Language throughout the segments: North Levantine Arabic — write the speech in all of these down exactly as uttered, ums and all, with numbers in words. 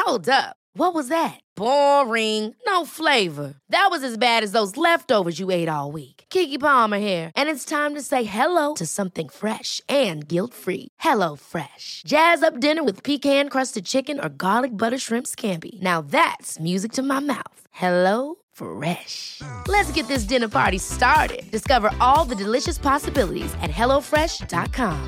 Hold up. What was that? Boring. No flavor. That was as bad as those leftovers you ate all week. Keke Palmer here, and it's time to say hello to something fresh and guilt-free. Hello Fresh. Jazz up dinner with pecan-crusted chicken or garlic butter shrimp scampi. Now that's music to my mouth. Hello Fresh. Let's get this dinner party started. Discover all the delicious possibilities at hello fresh dot com.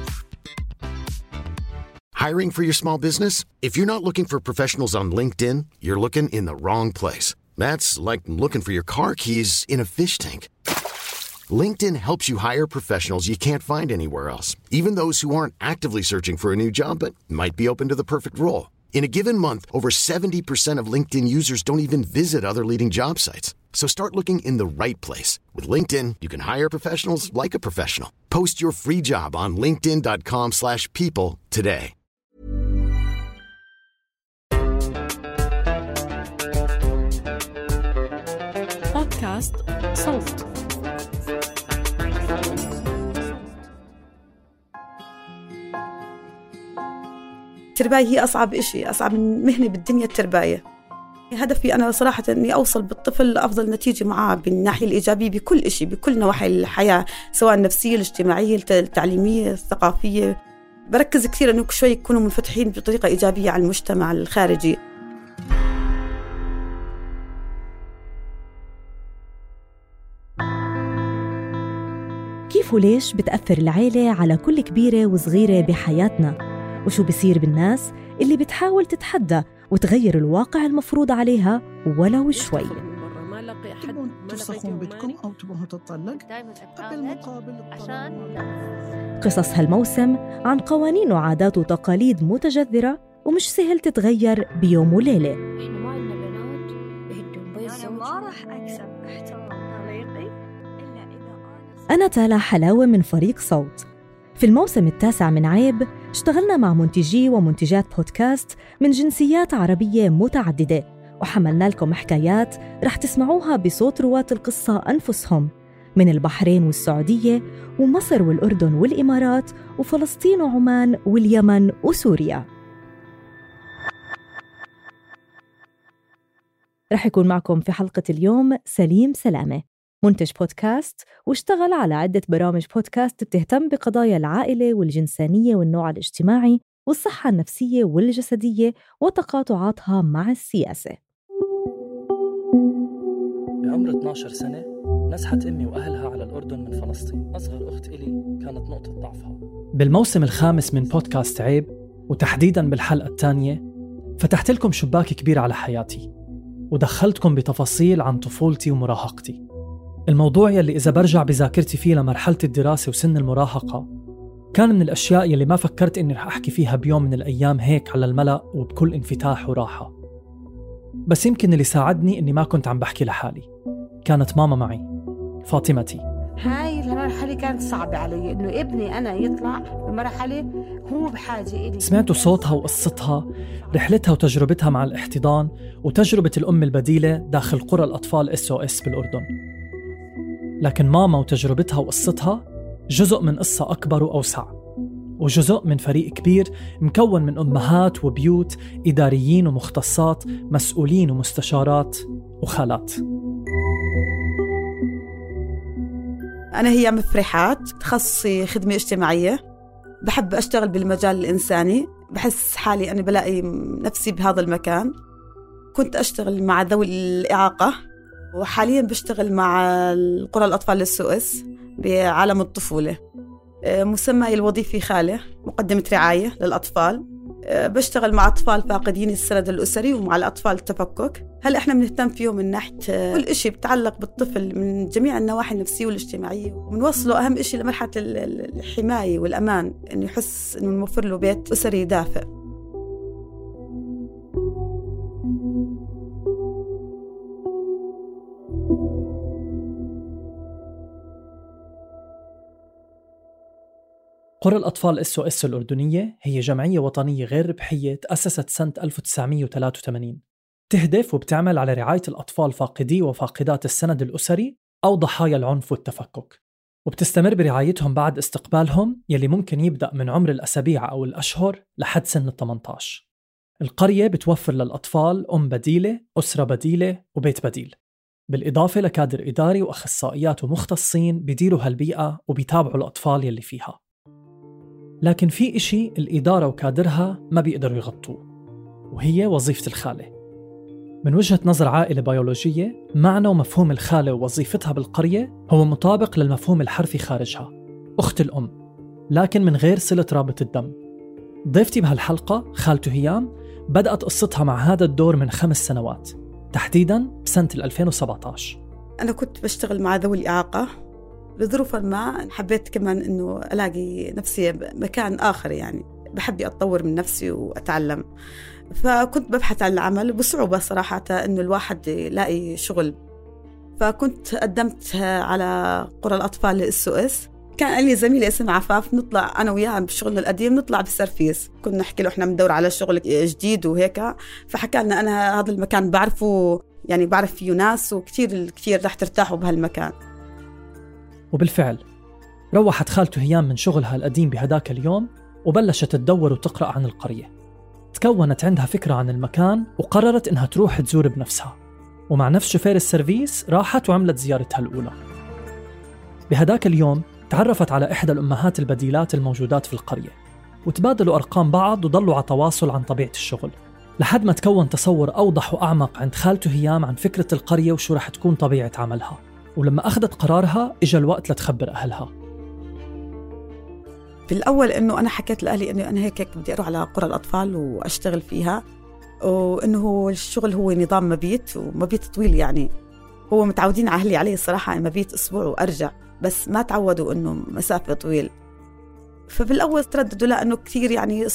Hiring for your small business? If you're not looking for professionals on LinkedIn, you're looking in the wrong place. That's like looking for your car keys in a fish tank. LinkedIn helps you hire professionals you can't find anywhere else, even those who aren't actively searching for a new job but might be open to the perfect role. In a given month, over seventy percent of LinkedIn users don't even visit other leading job sites. So start looking in the right place. With LinkedIn, you can hire professionals like a professional. Post your free job on linkedin dot com slash people today. بودكاست صوت. الترباية هي أصعب إشي، أصعب من مهنة بالدنيا الترباية. هدفي أنا صراحة أني أوصل بالطفل لأفضل نتيجة معاه بالناحية الإيجابية بكل إشي، بكل نواحي الحياة، سواء النفسية، الاجتماعية، التعليمية، الثقافية. بركز كثير أنه شوي يكونوا منفتحين بطريقة إيجابية على المجتمع الخارجي. كيف وليش بتأثر العيلة على كل كبيرة وصغيرة بحياتنا؟ وشو بصير بالناس اللي بتحاول تتحدى وتغير الواقع المفروض عليها ولو شوي؟ تبون ترسخون بيتكم أو تبون تطلق بالمقابل عشان قصص هالموسم عن قوانين وعادات وتقاليد متجذرة ومش سهل تتغير بيوم وليلة. إحنا ما عندنا بنات بهدون بيت زوجي. أنا ما راح أكسب احترام طليقي إلا إذا أنا تالا حلاوة من فريق صوت. في الموسم التاسع من عيب اشتغلنا مع منتجي ومنتجات بودكاست من جنسيات عربية متعددة، وحملنا لكم حكايات رح تسمعوها بصوت رواة القصة أنفسهم من البحرين والسعودية ومصر والأردن والإمارات وفلسطين وعمان واليمن وسوريا. رح يكون معكم في حلقة اليوم سليم سلامة، منتج بودكاست واشتغل على عدة برامج بودكاست بتهتم بقضايا العائلة والجنسانية والنوع الاجتماعي والصحة النفسية والجسدية وتقاطعاتها مع السياسة. بعمر اثنعش سنة نزحت أمي وأهلها على الأردن من فلسطين. أصغر أخت إلي كانت نقطة ضعفها. بالموسم الخامس من بودكاست عيب وتحديداً بالحلقة الثانية فتحت لكم شباك كبير على حياتي ودخلتكم بتفاصيل عن طفولتي ومراهقتي. الموضوع يلي إذا برجع بذاكرتي فيه لمرحلة الدراسة وسن المراهقة كان من الأشياء يلي ما فكرت إني رح أحكي فيها بيوم من الأيام هيك على الملأ وبكل انفتاح وراحة. بس يمكن اللي ساعدني إني ما كنت عم بحكي لحالي، كانت ماما معي، فاطمتي. هاي المرحلة كانت صعبة علي، إنه ابني أنا يطلع بمرحلة هو بحاجة إلي. سمعتوا صوتها وقصتها، رحلتها وتجربتها مع الاحتضان وتجربة الأم البديلة داخل قرى الأطفال إس أو إس بالأردن. لكن ماما وتجربتها وقصتها جزء من قصة أكبر وأوسع، وجزء من فريق كبير مكون من أمهات وبيوت، إداريين ومختصات، مسؤولين ومستشارات وخالات. أنا هي مفرحات، تخصصي خدمة اجتماعية، بحب أشتغل بالمجال الإنساني، بحس حالي أنا بلاقي نفسي بهذا المكان. كنت أشتغل مع ذوي الإعاقة وحالياً بشتغل مع القرى الأطفال للسويس بعالم الطفولة. مسمى الوظيفي خالة، مقدمة رعاية للأطفال. بشتغل مع أطفال فاقدين السند الأسري ومع الأطفال التفكك. هل إحنا بنهتم فيهم من ناحية كل إشي بتعلق بالطفل من جميع النواحي النفسية والاجتماعية، وبنوصله أهم إشي لمرحلة الحماية والأمان، إنه يحس إنه نوفر له بيت أسري دافئ. قرى الأطفال إس أو إس الأردنية هي جمعية وطنية غير ربحية تأسست سنة ألف وتسعمية وثلاثة وثمانين، تهدف وبتعمل على رعاية الأطفال فاقدي وفاقدات السند الأسري أو ضحايا العنف والتفكك، وبتستمر برعايتهم بعد استقبالهم يلي ممكن يبدأ من عمر الأسابيع أو الأشهر لحد سن الثمانية عشر. القرية بتوفر للأطفال أم بديلة، أسرة بديلة وبيت بديل، بالإضافة لكادر إداري وأخصائيات ومختصين بيديروا هالبيئة وبيتابعوا الأطفال يلي فيها. لكن في إشي الإدارة وكادرها ما بيقدروا يغطوه، وهي وظيفة الخالة. من وجهة نظر عائلة بيولوجية، معنى ومفهوم الخالة ووظيفتها بالقرية هو مطابق للمفهوم الحرفي خارجها، أخت الأم، لكن من غير صلة رابط الدم. ضيفتي بهالحلقة خالته هيام بدأت قصتها مع هذا الدور من خمس سنوات، تحديداً بسنة ألفين وسبعة عشر. أنا كنت بشتغل مع ذوي الإعاقة، لظروف ما حبيت كمان إنه ألاقي نفسي مكان آخر، يعني بحب أتطور من نفسي وأتعلم، فكنت ببحث عن العمل بصعوبة صراحة إنه الواحد يلاقي شغل. فكنت قدمت على قرى الأطفال للإس أو إس. كان لي زميلة اسمها عفاف، نطلع أنا وياها بشغلنا القديم نطلع بالسرفيس، كنا نحكي له إحنا بندور على شغل جديد وهيك، فحكى لنا أنا هذا المكان بعرفه، يعني بعرف فيه ناس وكتير كتير رح ترتاحوا بهالمكان. وبالفعل روحت خالته هيام من شغلها القديم بهداك اليوم وبلشت تدور وتقرأ عن القرية. تكونت عندها فكرة عن المكان وقررت إنها تروح تزور بنفسها، ومع نفس شوفير السيرفيس راحت وعملت زيارتها الأولى. بهداك اليوم تعرفت على إحدى الأمهات البديلات الموجودات في القرية، وتبادلوا أرقام بعض وضلوا على تواصل عن طبيعة الشغل، لحد ما تكون تصور أوضح وأعمق عند خالته هيام عن فكرة القرية وشو رح تكون طبيعة عملها. ولما أخذت قرارها إجا الوقت لتخبر أهلها. بالأول إنه أنا حكيت لأهلي إنه أنا هيك بدي أروح على قرى الأطفال وأشتغل فيها، وإنه الشغل هو نظام مبيت ومبيت طويل، يعني هو متعودين أهلي عليه الصراحة مبيت أسبوع وأرجع، بس ما تعودوا إنه مسافة طويل. فبالأول ترددوا لا إنه كثير يعني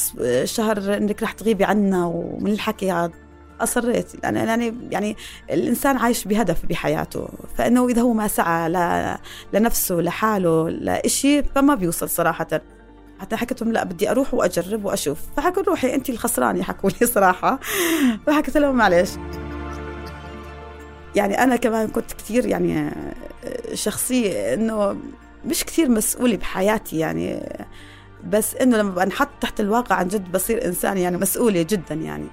شهر إنك رح تغيبي عنا ومن الحكي هذا. أصريت أنا يعني يعني الإنسان عايش بهدف بحياته، فإنه إذا هو ما سعى ل... لنفسه لحاله لإشي فما بيوصل صراحة. حتى حكيتهم لا بدي أروح وأجرب وأشوف، فحكوا روحي أنت الخسرانة، حكوا لي صراحة. فحكيت لهم معلش. يعني أنا كمان كنت كثير يعني شخصية إنه مش كثير مسؤولة بحياتي، يعني بس إنه لما بنحط تحت الواقع عن جد بصير إنسان يعني مسؤولة جدا. يعني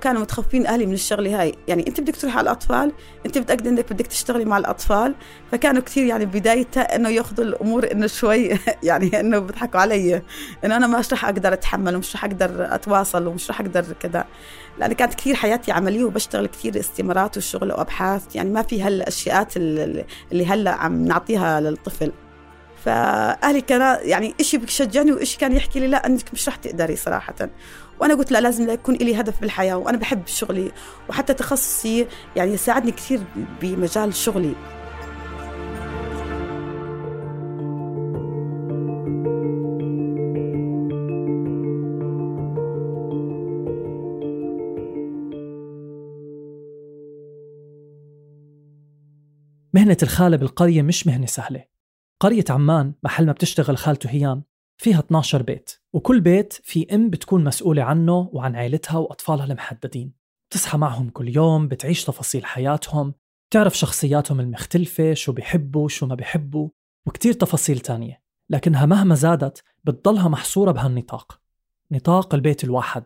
كانوا متخوفين أهلي من الشغلة هاي، يعني أنت بدك تروح على الأطفال، أنت بتأكد أنك بدك تشتغلي مع الأطفال. فكانوا كثير يعني بدايتها إنه يأخذوا الأمور إنه شوي يعني إنه بضحكوا علي إنه أنا مش رح أقدر أتحمل ومش رح أقدر أتواصل ومش رح أقدر كذا، لأن كانت كثير حياتي عملية وبشتغل كثير استمارات وشغل وأبحاث، يعني ما في هالأشياء اللي هلا عم نعطيها للطفل. فأهلي كان يعني إشي بيشجعني وإشي كان يحكي لي لا أنك مش رح تقدري صراحة. وأنا قلت لا، لازم يكون لي هدف بالحياة، وأنا بحب شغلي وحتى تخصصي يعني يساعدني كثير بمجال شغلي. مهنة الخالة بالقرية مش مهنة سهلة. قرية عمان محل ما بتشتغل خالته هيام فيها اثنا عشر بيت، وكل بيت في أم بتكون مسؤولة عنه وعن عائلتها وأطفالها المحددين. بتصحى معهم كل يوم، بتعيش تفاصيل حياتهم، تعرف شخصياتهم المختلفة، شو بيحبوا شو ما بيحبوا، وكتير تفاصيل تانية. لكنها مهما زادت بتضلها محصورة بهالنطاق، نطاق البيت الواحد.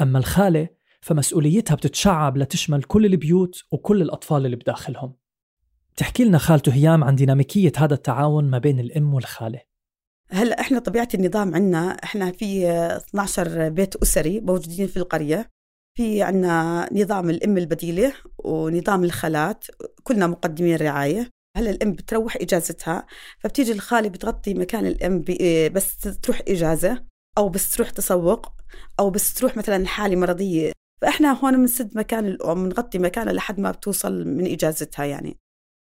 أما الخالة فمسؤوليتها بتتشعب لتشمل كل البيوت وكل الأطفال اللي بداخلهم. تحكي لنا خالته هيام عن ديناميكية هذا التعاون ما بين الأم والخالة. هلأ إحنا طبيعة النظام عنا، إحنا في اثنا عشر بيت أسري موجودين في القرية. في عنا نظام الأم البديلة ونظام الخالات، كلنا مقدمين رعاية. هلأ الأم بتروح إجازتها، فبتيجي الخالة بتغطي مكان الأم بس تروح إجازة، أو بس تروح تسوق، أو بس تروح مثلا حالة مرضية. فإحنا هون بنسد مكان الأم، نغطي مكانها لحد ما بتوصل من إجازتها. يعني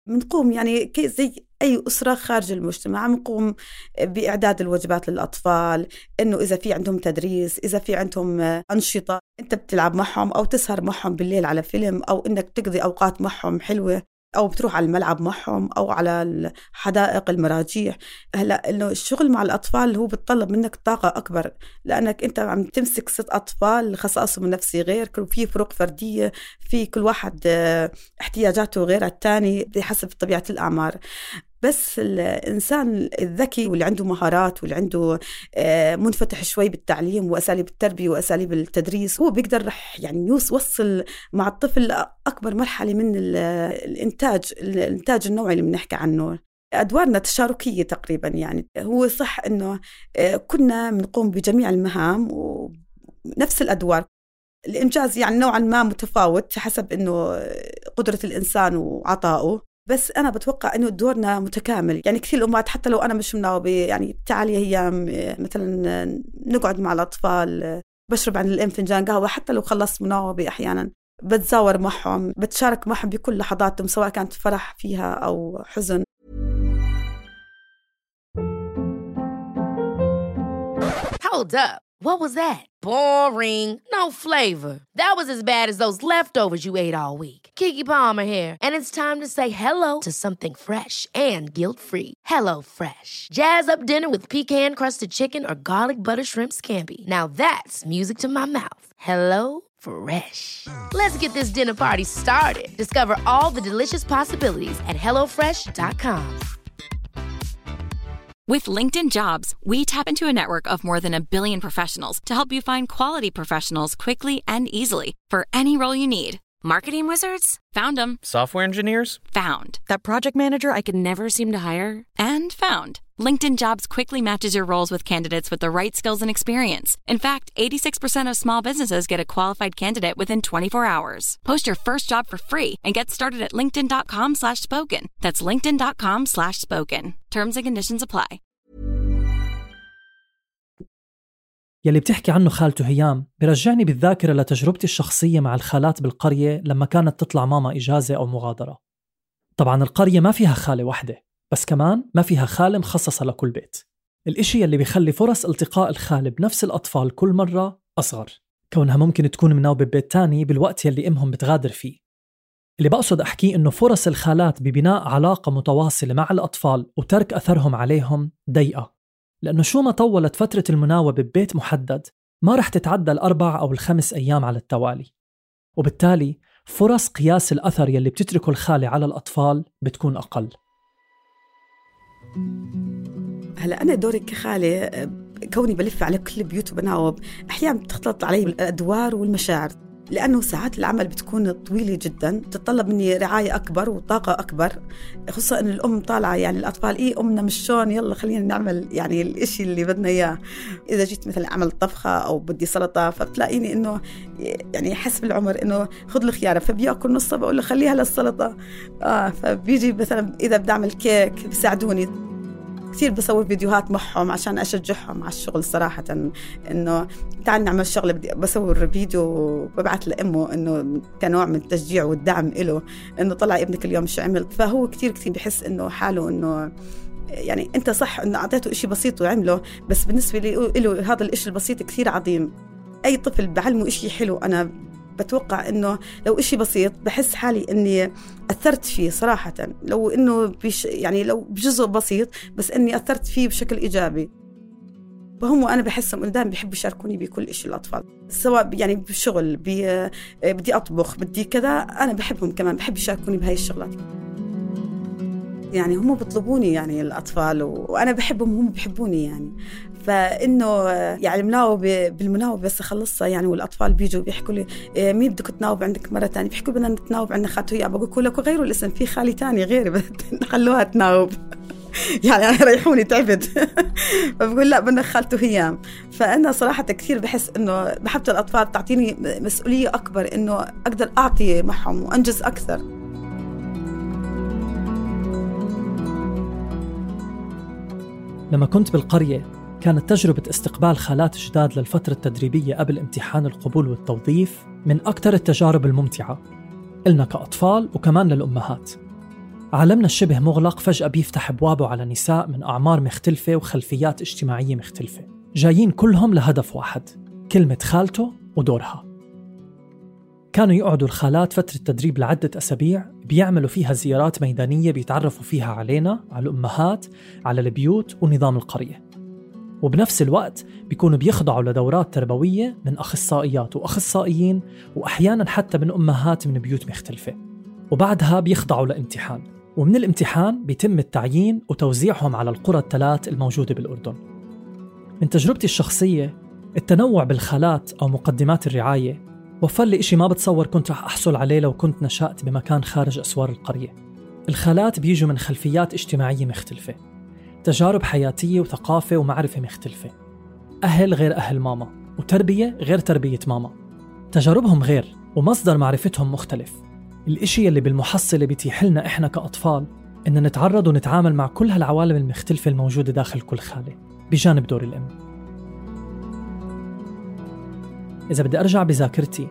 بنقوم يعني زي أي أسرة خارج المجتمع، بنقوم بإعداد الوجبات للأطفال، إنه إذا في عندهم تدريس، إذا في عندهم أنشطة أنت بتلعب معهم أو تسهر معهم بالليل على فيلم، أو إنك تقضي أوقات معهم حلوة، أو بتروح على الملعب معهم أو على الحدائق المراجيح. هلأ إنه الشغل مع الأطفال هو بتطلب منك طاقة أكبر، لأنك أنت عم تمسك ست أطفال خصائصهم النفسي غير، في فروق فردية، في كل واحد احتياجاته غير التاني بحسب طبيعة الأعمار. بس الإنسان الذكي واللي عنده مهارات واللي عنده منفتح شوي بالتعليم وأساليب التربية وأساليب التدريس، هو بيقدر رح يعني يوصل مع الطفل أكبر مرحلة من الإنتاج الإنتاج النوعي اللي بنحكي عنه. أدوارنا تشاركية تقريبا، يعني هو صح إنه كنا بنقوم بجميع المهام ونفس الأدوار، الإنجاز يعني نوعا ما متفاوت حسب إنه قدرة الإنسان وعطائه، بس أنا بتوقع إنه دورنا متكامل. يعني كثير الأمهات حتى لو أنا مش مناوبة، يعني تعالي هي مثلا نقعد مع الأطفال، بشرب عن الأم فنجان قهوة، حتى لو خلصت مناوبة أحيانا بتزاور معهم، بتشارك معهم بكل لحظاتهم سواء كانت فرح فيها أو حزن. Hold up. What was that? Boring. No flavor. That was as bad as those leftovers you ate all week. Keke Palmer here, and it's time to say hello to something fresh and guilt-free. Hello Fresh. Jazz up dinner with pecan-crusted chicken or garlic butter shrimp scampi. Now that's music to my mouth. Hello Fresh. Let's get this dinner party started. Discover all the delicious possibilities at hello fresh dot com. With LinkedIn Jobs, we tap into a network of more than a billion professionals to help you find quality professionals quickly and easily for any role you need. Marketing wizards? Found them. Software engineers? Found. That project manager I could never seem to hire? And found. LinkedIn Jobs quickly matches your roles with candidates with the right skills and experience. In fact, eighty-six percent of small businesses get a qualified candidate within twenty-four hours. Post your first job for free and get started at linkedin.com slash spoken. That's linkedin.com slash spoken. Terms and conditions apply. يلي بتحكي عنه خالته هيام برجعني بالذاكرة لتجربتي الشخصية مع الخالات بالقرية لما كانت تطلع ماما إجازة أو مغادرة. طبعا القرية ما فيها خالة واحدة، بس كمان ما فيها خالة مخصصة لكل بيت. الإشي يلي بيخلي فرص التقاء الخالة بنفس الأطفال كل مرة أصغر، كونها ممكن تكون مناوبة ببيت تاني بالوقت يلي إمهم بتغادر فيه. اللي بقصد أحكيه إنه فرص الخالات ببناء علاقة متواصلة مع الأطفال وترك أثرهم عليهم ضيقة، لأنه شو ما طولت فترة المناوبة ببيت محدد ما رح تتعدى الأربع أو الخمس أيام على التوالي، وبالتالي فرص قياس الأثر يلي بتتركه الخالة على الأطفال بتكون أقل. هلأ أنا دوري كخالة كوني بلف على كل بيوت وبناوب، أحيانا بتختلط علي الأدوار والمشاعر، لأنه ساعات العمل بتكون طويلة جدا، تتطلب مني رعاية أكبر وطاقة أكبر، خصوصا أن الأم طالعة يعني الأطفال إيه أمنا مش شون، يلا خلينا نعمل يعني الإشي اللي بدنا إياه. إذا جيت مثلا أعمل طبخة أو بدي سلطة فبتلاقيني إنه يعني حسب العمر إنه خذ الخيارة، فبيأكل نصها بقول له خليها للسلطة. آه فبيجي مثلا إذا بدي أعمل كيك بيساعدوني كثير، بصور فيديوهات معهم عشان أشجعهم على الشغل صراحة، إنه تعال نعمل شغلة، بدي بصور فيديو وببعث لأمه إنه كنوع من التشجيع والدعم إله، إنه طلع ابنك اليوم شو عمل. فهو كثير كثير بحس إنه حاله إنه يعني أنت صح إنه أعطيته إشي بسيط وعمله، بس بالنسبة لي له هذا الإشي البسيط كثير عظيم. أي طفل بعلمه إشي حلو، أنا بتوقع إنه لو إشي بسيط بحس حالي إني أثرت فيه صراحة، لو إنه بش يعني لو بجزء بسيط بس إني أثرت فيه بشكل إيجابي. فهم أنا بحسهم إنه دائما بيحبوا يشاركوني بكل إشي الأطفال، سواء يعني بالشغل بي بدي أطبخ بدي كذا، أنا بحبهم كمان بحب يشاركوني بهاي الشغلات. يعني هم بيطلبوني يعني الأطفال وأنا بحبهم وهم بيحبوني يعني، فإنه يعني مناوبة بالمناوبة بس أخلصها يعني، والأطفال بيجوا بيحكوا لي مين بدك تناوب عندك مرة تانية، بيحكوا بدنا نتناوب عندنا خالته هي، بقول لكم غيروا الاسم، في خالي تاني غيري نخلوها تناوب يعني أنا ريحوني تعبت فبقول لا بدنا خالته هيام. فأنا صراحة كثير بحس إنه محبة الأطفال تعطيني مسؤولية أكبر، إنه أقدر أعطي معهم وأنجز أكثر. لما كنت بالقرية كانت تجربة استقبال خالات جداد للفترة التدريبية قبل امتحان القبول والتوظيف من أكثر التجارب الممتعة إلنا كأطفال وكمان للأمهات. عالمنا الشبه مغلق فجأة بيفتح أبوابه على نساء من أعمار مختلفة وخلفيات اجتماعية مختلفة، جايين كلهم لهدف واحد، كلمة خالته ودورها. كانوا يقعدوا الخالات فترة تدريب لعدة أسابيع بيعملوا فيها زيارات ميدانية بيتعرفوا فيها علينا، على الأمهات، على البيوت ونظام القرية، وبنفس الوقت بيكونوا بيخضعوا لدورات تربوية من أخصائيات وأخصائيين، وأحياناً حتى من أمهات من بيوت مختلفة، وبعدها بيخضعوا لامتحان ومن الامتحان بيتم التعيين وتوزيعهم على القرى الثلاث الموجودة بالأردن. من تجربتي الشخصية، التنوع بالخالات أو مقدمات الرعاية وفر لي إشي ما بتصور كنت رح أحصل عليه لو كنت نشأت بمكان خارج أسوار القرية. الخالات بيجوا من خلفيات اجتماعية مختلفة، تجارب حياتية وثقافة ومعرفة مختلفة، أهل غير أهل ماما وتربية غير تربية ماما، تجاربهم غير ومصدر معرفتهم مختلف. الإشي اللي بالمحصلة بيتيح لنا إحنا كأطفال إن نتعرض ونتعامل مع كل هالعوالم المختلفة الموجودة داخل كل خالة بجانب دور الأم. إذا بدي أرجع بذاكرتي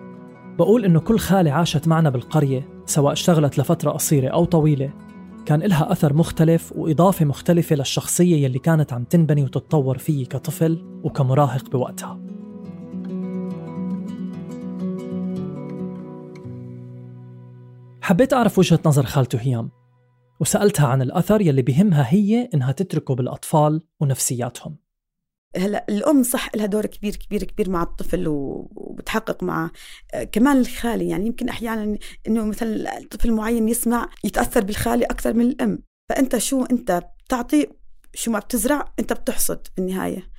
بقول إنه كل خالة عاشت معنا بالقرية سواء اشتغلت لفترة قصيرة أو طويلة كان إلها أثر مختلف وإضافة مختلفة للشخصية يلي كانت عم تنبني وتتطور فيه كطفل وكمراهق بوقتها. حبيت أعرف وجهة نظر خالته هيام وسألتها عن الأثر يلي بهمها هي إنها تتركه بالأطفال ونفسياتهم. هلا الأم صح لها دور كبير كبير كبير مع الطفل وبتحقق معه. كمان الخالي يعني يمكن أحيانا إنه مثلا الطفل معين يسمع يتأثر بالخالي أكثر من الأم، فأنت شو أنت بتعطي شو ما بتزرع أنت بتحصد بالنهاية.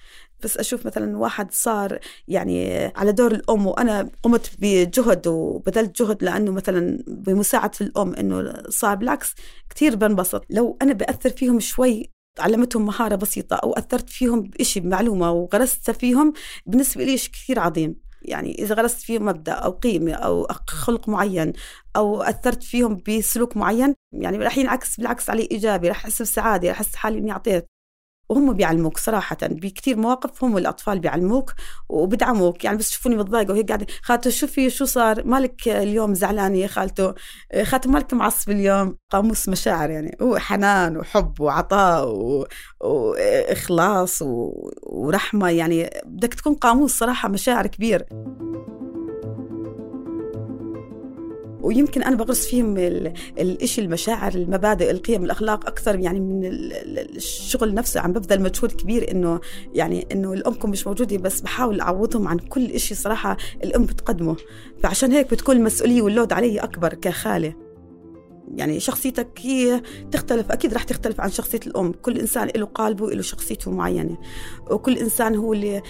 بس أشوف مثلا واحد صار يعني على دور الأم وأنا قمت بجهد وبذلت جهد لأنه مثلا بمساعدة الأم إنه صار بالعكس كتير بنبسط. لو أنا بأثر فيهم شوي علمتهم مهارة بسيطة أو أثرت فيهم بإشي بمعلومة وغرست فيهم بالنسبة لي شيء كثير عظيم. يعني إذا غرست فيهم مبدأ أو قيمة أو خلق معين أو أثرت فيهم بسلوك معين يعني رح ينعكس بالعكس علي إيجابي، رح أحس بسعادة، رح أحس حالي إني أعطيت. وهم بيعلموك صراحة بكتير مواقف، هم والأطفال بيعلموك وبدعموك. يعني بس شوفوني متضايقة وهي قاعدة خالته شوفي شو صار مالك اليوم زعلانة يا خالته، خالته مالك معصب اليوم. قاموس مشاعر يعني هو حنان وحب وعطاء و... وإخلاص و... ورحمة. يعني بدك تكون قاموس صراحة مشاعر كبير. ويمكن أنا بغرس فيهم الإشي المشاعر المبادئ القيم الأخلاق أكثر يعني من الشغل نفسه. عم ببذل مجهود كبير إنه يعني إنه الأمكم مش موجودة، بس بحاول أعوضهم عن كل إشي صراحة الأم بتقدمه. فعشان هيك بتكون المسؤولية واللود علي أكبر كخالة. يعني شخصيتك هي تختلف، أكيد رح تختلف عن شخصية الأم. كل إنسان له قالبه وله شخصيته معينة، وكل إنسان هو اللي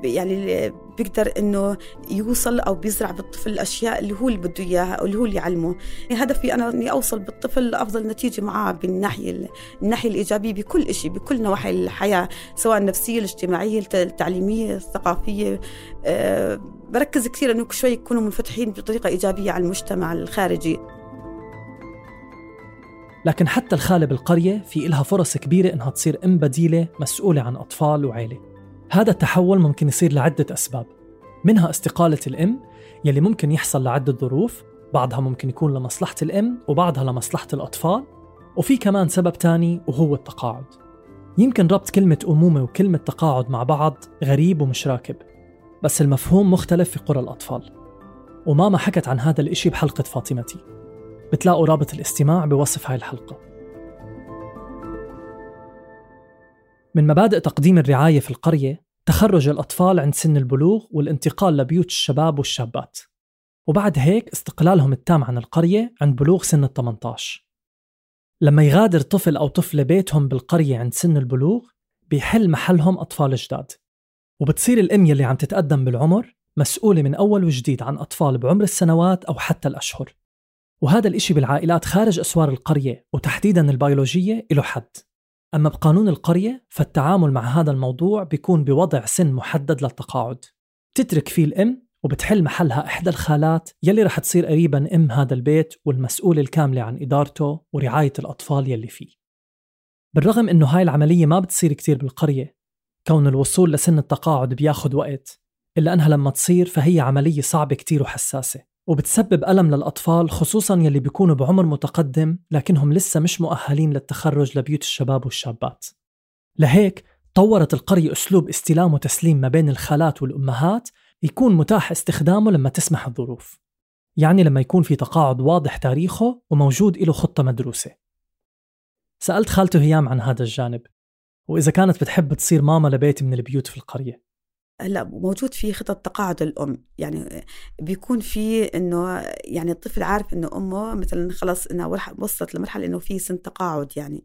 يعني اللي بيقدر إنه يوصل أو بيزرع بالطفل الأشياء اللي هو اللي بده إياها أو اللي هو اللي يعلمه. هدفي أنا إني أوصل بالطفل لأفضل نتيجة معاه بالناحية الناحية الإيجابية بكل إشي، بكل نواحي الحياة، سواء النفسية الاجتماعية التعليمية الثقافية. أه بركز كثير إنه شوي يكونوا منفتحين بطريقة إيجابية على المجتمع الخارجي. لكن حتى الخالة بالقرية في إلها فرص كبيرة إنها تصير أم بديلة مسؤولة عن أطفال وعائلة. هذا التحول ممكن يصير لعدة أسباب، منها استقالة الأم يلي ممكن يحصل لعدة ظروف، بعضها ممكن يكون لمصلحة الأم وبعضها لمصلحة الأطفال، وفي كمان سبب تاني وهو التقاعد. يمكن ربط كلمة أمومة وكلمة تقاعد مع بعض غريب ومش راكب، بس المفهوم مختلف في قرى الأطفال. وماما حكت عن هذا الإشي بحلقة فاطمتي، بتلاقوا رابط الاستماع بوصف هاي الحلقة. من مبادئ تقديم الرعاية في القرية تخرج الأطفال عند سن البلوغ والانتقال لبيوت الشباب والشابات، وبعد هيك استقلالهم التام عن القرية عند بلوغ سن الثمانية عشر. لما يغادر طفل أو طفلة بيتهم بالقرية عند سن البلوغ بيحل محلهم أطفال جداد، وبتصير الأم يلي عم تتقدم بالعمر مسؤولة من أول وجديد عن أطفال بعمر السنوات أو حتى الأشهر. وهذا الإشي بالعائلات خارج أسوار القرية وتحديداً البيولوجية له حد. أما بقانون القرية فالتعامل مع هذا الموضوع بيكون بوضع سن محدد للتقاعد تترك فيه الأم، وبتحل محلها إحدى الخالات يلي رح تصير قريباً أم هذا البيت والمسؤولة الكاملة عن إدارته ورعاية الأطفال يلي فيه. بالرغم إنه هاي العملية ما بتصير كتير بالقرية، كون الوصول لسن التقاعد بياخد وقت، إلا أنها لما تصير فهي عملية صعبة كتير وحساسة، وبتسبب ألم للأطفال خصوصاً يلي بيكونوا بعمر متقدم لكنهم لسه مش مؤهلين للتخرج لبيوت الشباب والشابات. لهيك طورت القرية أسلوب استلام وتسليم ما بين الخالات والأمهات يكون متاح استخدامه لما تسمح الظروف، يعني لما يكون في تقاعد واضح تاريخه وموجود له خطة مدروسة. سألت خالته هيام عن هذا الجانب، وإذا كانت بتحب تصير ماما لبيت من البيوت في القرية. هلا موجود في خطط تقاعد الأم، يعني بيكون في إنه يعني الطفل عارف إنه أمه مثلا خلاص إنها وصلت لمرحلة إنه في سن تقاعد يعني،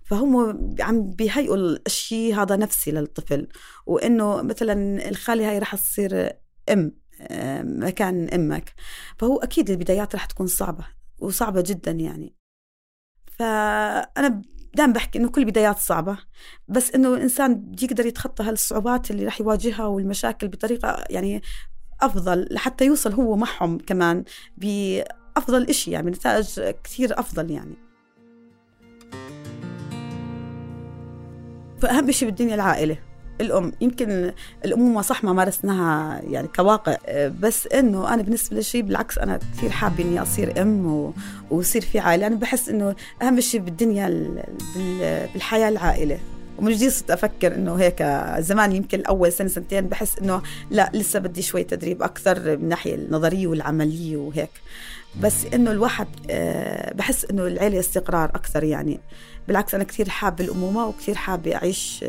فهم عم بيهيئوا الشيء هذا نفسي للطفل، وإنه مثلا الخالة هاي رح تصير أم مكان أمك، فهو أكيد البدايات رح تكون صعبة وصعبة جدا يعني. فأنا دائما بحكي إنه كل بدايات صعبة، بس إنه الإنسان يقدر يتخطى هالصعوبات اللي رح يواجهها والمشاكل بطريقة يعني أفضل لحتى يوصل هو معهم كمان بأفضل إشي، يعني نتائج كثير أفضل يعني. فأهم شيء بالدنيا العائلة، الأم. يمكن الأمومة صح ما مارسناها يعني كواقع، بس إنه أنا بالنسبة لشيء بالعكس أنا كثير حابة إني أصير أم و... ويصير في عائلة. أنا بحس إنه أهم شيء بالدنيا بال... بالحياة العائلة. ومن جديد صرت أفكر إنه هيك زمان يمكن الأول سنة سنتين بحس إنه لا لسه بدي شوي تدريب أكثر من الناحية النظرية والعملية وهيك، بس إنه الواحد بحس إنه العائلة استقرار أكثر يعني. بالعكس أنا كثير حابة الأمومة وكثير حابة أعيش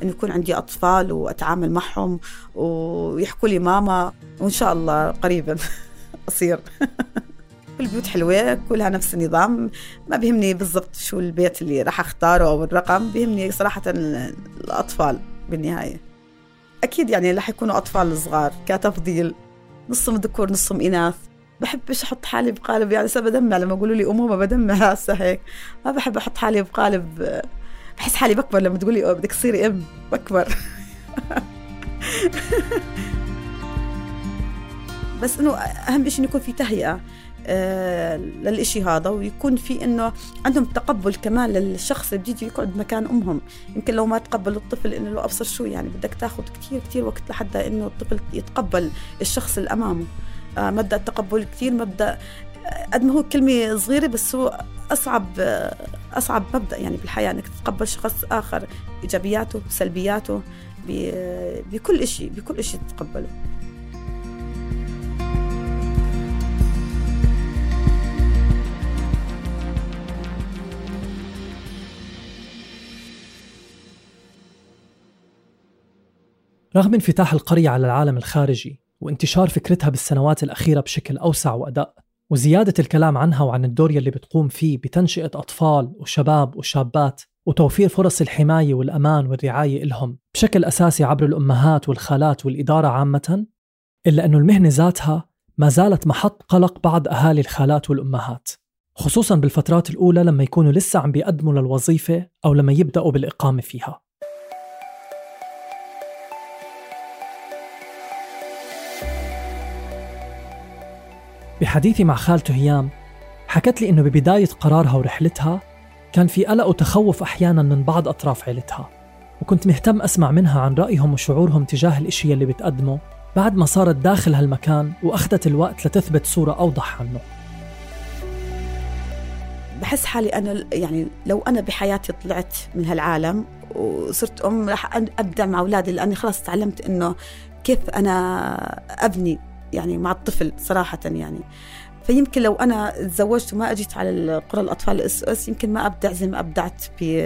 إنه يكون عندي أطفال وأتعامل معهم ويحكوا لي ماما، وإن شاء الله قريبا أصير. كل بيوت حلوة كلها نفس النظام، ما بيهمني بالضبط شو البيت اللي راح أختاره أو الرقم، بيهمني صراحة الأطفال بالنهاية. أكيد يعني راح يكونوا أطفال صغار كتفضيل، نصهم ذكور نصهم إناث. بحبش أحط حالي بقالب يعني سبب بدمع لما يقولوا لي أمومة بدمع هسه هيك، ما بحب أحط حالي بقالب، بحس حالي بكبر لما تقولي بدك تصيري أم بكبر. بس إنه أهم شيء يكون في تهيئة آه للإشي هذا، ويكون في إنه عندهم تقبل كمان للشخص اللي بيجي يقعد مكان أمهم. يمكن لو ما تقبل الطفل إنه لو أبصر شو يعني بدك تاخد كتير كتير وقت لحتى إنه الطفل يتقبل الشخص اللي أمامه. آه مبدأ التقبل كتير مبدأ قد ما هو كلمة صغيرة، بس هو أصعب آه أصعب مبدأ يعني بالحياة، إنك تتقبل شخص آخر إيجابياته سلبياته بكل إشي بكل إشي تتقبله. رغم انفتاح القرية على العالم الخارجي وانتشار فكرتها بالسنوات الأخيرة بشكل أوسع وأدق، وزيادة الكلام عنها وعن الدور يلي بتقوم فيه بتنشئة أطفال وشباب وشابات وتوفير فرص الحماية والأمان والرعاية إلهم بشكل أساسي عبر الأمهات والخالات والإدارة عامة، إلا أنه المهنة ذاتها ما زالت محط قلق بعض أهالي الخالات والأمهات، خصوصاً بالفترات الأولى لما يكونوا لسه عم بيقدموا للوظيفة أو لما يبدأوا بالإقامة فيها. بحديثي مع خالته هيام حكت لي إنه ببداية قرارها ورحلتها كان في قلق وتخوف أحياناً من بعض أطراف عيلتها، وكنت مهتم أسمع منها عن رأيهم وشعورهم تجاه الإشي اللي بتقدمه بعد ما صارت داخل هالمكان وأخذت الوقت لتثبت صورة أوضح عنه. بحس حالي أنا يعني لو أنا بحياتي طلعت من هالعالم وصرت أم رح أبدأ مع أولادي، لأني خلاص تعلمت إنه كيف أنا أبني يعني مع الطفل صراحة يعني. فيمكن لو أنا تزوجت وما أجيت على القرى الأطفال الإس أو إس يمكن ما أبدع زي ما أبدعت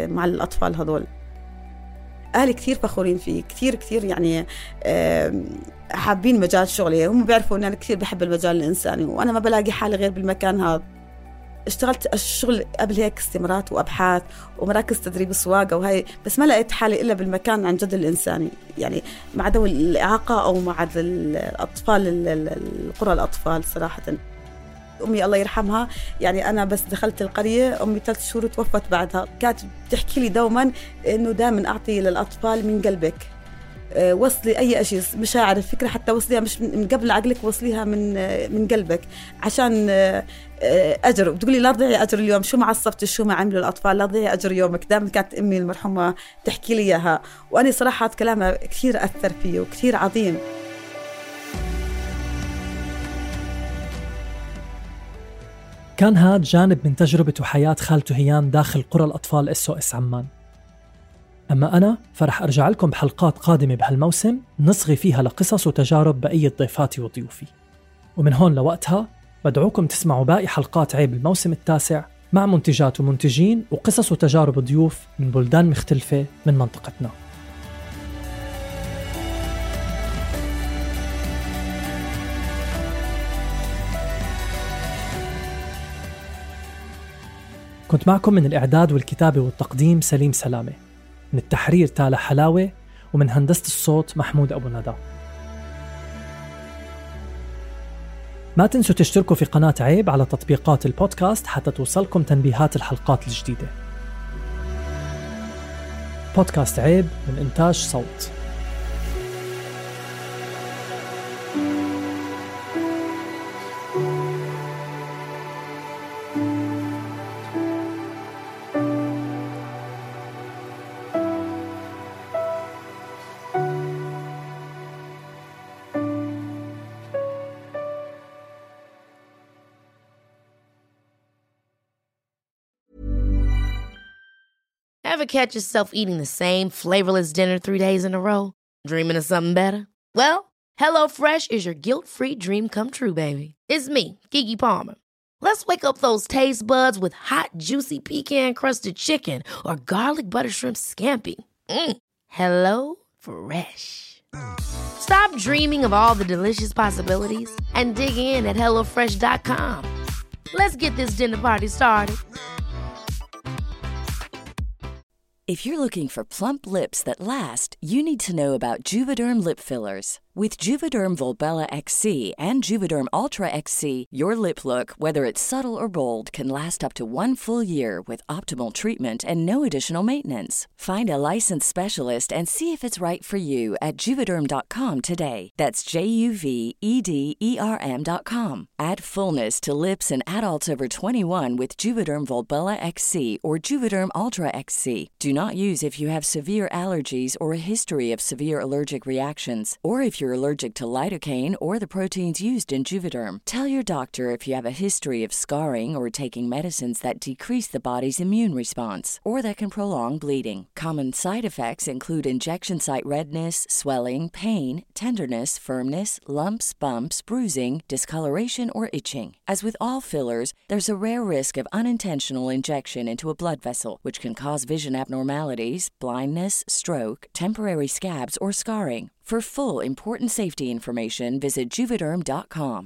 مع الأطفال هذول. أهلي كثير فخورين فيه كثير كثير يعني حابين مجال شغلي، هم بيعرفوا أن أنا كثير بحب المجال الإنساني، وأنا ما بلاقي حالي غير بالمكان هذا. اشتغلت الشغل قبل هيك استمارات وأبحاث ومراكز تدريب سواقة وهي، بس ما لقيت حالي إلا بالمكان عن جد الإنساني يعني، مع ذوي الإعاقة أو مع الأطفال القرى الأطفال. صراحة أمي الله يرحمها يعني أنا بس دخلت القرية أمي ثلاث شهور توفت بعدها، كانت بتحكي لي دوما إنه دائما أعطي للأطفال من قلبك، وصلي أي شيء مشاعر الفكرة حتى وصليها مش من قبل عقلك، وصليها من من قلبك عشان أجر. بتقولي لا تضيعي أجر اليوم، شو ما عصبت شو ما عملوا الأطفال لا تضيعي أجر يومك. دائما كانت أمي المرحومة تحكي لي إياها، وأنا صراحة كلامها كثير أثر فيه وكثير عظيم. كان هاد جانب من تجربة وحياة خالته هيام داخل قرى الأطفال إس أو إس عمان. أما أنا فرح أرجع لكم بحلقات قادمة بهالموسم نصغي فيها لقصص وتجارب بقية ضيفاتي وضيوفي، ومن هون لوقتها بدعوكم تسمعوا باقي حلقات عيب الموسم التاسع مع منتجات ومنتجين وقصص وتجارب ضيوف من بلدان مختلفة من منطقتنا. كنت معكم من الإعداد والكتابة والتقديم سليم سلامة، من التحرير تالا حلاوة، ومن هندسة الصوت محمود أبو ندى. ما تنسوا تشتركوا في قناة عيب على تطبيقات البودكاست حتى توصلكم تنبيهات الحلقات الجديدة. بودكاست عيب من إنتاج صوت. Ever catch yourself eating the same flavorless dinner three days in a row? Dreaming of something better? Well, HelloFresh is your guilt-free dream come true, baby. It's me, Keke Palmer. Let's wake up those taste buds with hot, juicy pecan-crusted chicken or garlic butter shrimp scampi. Mm. Hello Fresh. Stop dreaming of all the delicious possibilities and dig in at hello fresh dot com. Let's get this dinner party started. If you're looking for plump lips that last, you need to know about Juvederm lip fillers. With Juvederm Volbella X C and Juvederm Ultra X C, your lip look, whether it's subtle or bold, can last up to one full year with optimal treatment and no additional maintenance. Find a licensed specialist and see if it's right for you at Juvederm dot com today. That's J U V E D E R M dot com. Add fullness to lips in adults over twenty-one with Juvederm Volbella X C or Juvederm Ultra X C. Do not use if you have severe allergies or a history of severe allergic reactions, or if you're allergic to lidocaine or the proteins used in Juvederm. Tell your doctor if you have a history of scarring or taking medicines that decrease the body's immune response or that can prolong bleeding. Common side effects include injection site redness, swelling, pain, tenderness, firmness, lumps, bumps, bruising, discoloration, or itching. As with all fillers, there's a rare risk of unintentional injection into a blood vessel, which can cause vision abnormalities, blindness, stroke, temporary scabs, or scarring. For full, important safety information, visit Juvederm dot com.